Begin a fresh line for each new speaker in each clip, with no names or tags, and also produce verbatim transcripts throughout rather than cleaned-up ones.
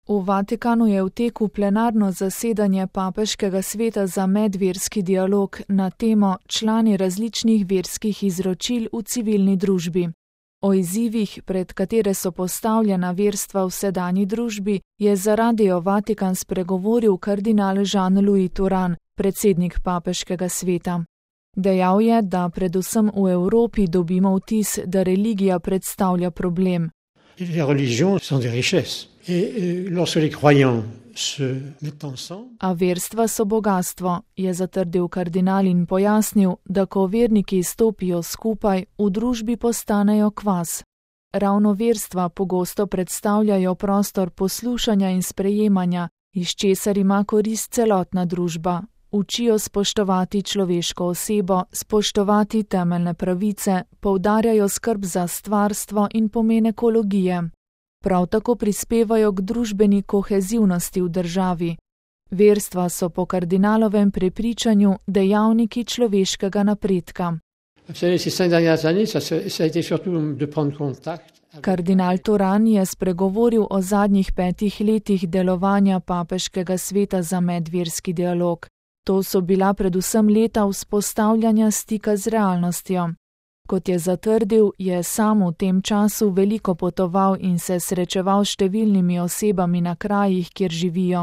V Vatikanu je v teku plenarno zasedanje Papeškega sveta za medverski dialog na temo člani različnih verskih izročil v civilni družbi. O izzivih, pred katere so postavljena verstva v sedanji družbi, je za Radio Vatikan spregovoril kardinal Jean-Louis Turhan, predsednik Papeškega sveta. Dejal je, da predvsem v Evropi dobimo vtis, da religija predstavlja problem. A verstva so bogastvo, je zatrdil kardinal in pojasnil, da ko verniki stopijo skupaj, v družbi postanejo kvas. Ravno verstva pogosto predstavljajo prostor poslušanja in sprejemanja, iz česar ima korist celotna družba. Učijo spoštovati človeško osebo, spoštovati temeljne pravice, poudarjajo skrb za stvarstvo in pomen ekologije. Prav tako prispevajo k družbeni kohezivnosti v državi. Verstva so po kardinalovem prepričanju dejavniki človeškega napredka. Kardinal Turhan je spregovoril o zadnjih petih letih delovanja Papeškega sveta za medverski dialog. To so bila predvsem leta vzpostavljanja stika z realnostjo. Kot je zatrdil, je sam v tem času veliko potoval in se srečeval s številnimi osebami na krajih, kjer živijo.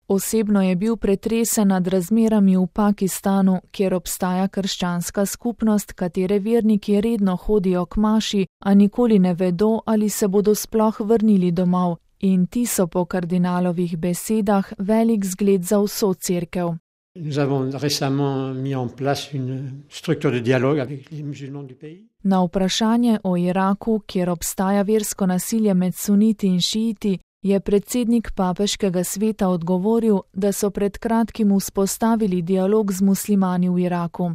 Osebno je bil pretresen nad razmerami v Pakistanu, kjer obstaja krščanska skupnost, katere verniki redno hodijo k maši, a nikoli ne vedo, ali se bodo sploh vrnili domov, in ti so po kardinalovih besedah velik zgled za vso cerkev.
Nous avons récemment mis en place une structure de dialogue avec les musulmans du pays.
Na vprašanje o Iraku, kjer obstaja versko nasilje med suniti in šiiti, je predsednik Papeškega sveta odgovoril, da so pred kratkim vzpostavili dialog z muslimani v Iraku.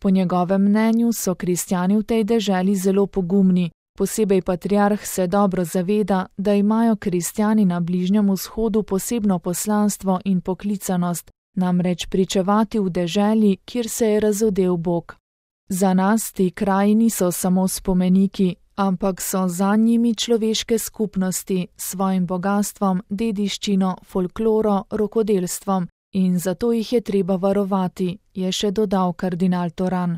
Po njegovem mnenju so kristjani v tej deželi zelo pogumni. Posebej patriarh se dobro zaveda, da imajo kristjani na Bližnjem vzhodu posebno poslanstvo in poklicanost, namreč pričevati v deželi, kjer se je razodel Bog. Za nas ti kraji niso samo spomeniki, ampak so za njimi človeške skupnosti s svojim bogastvom, dediščino, folkloro, rokodelstvom in zato jih je treba varovati, je še dodal kardinal Turhan.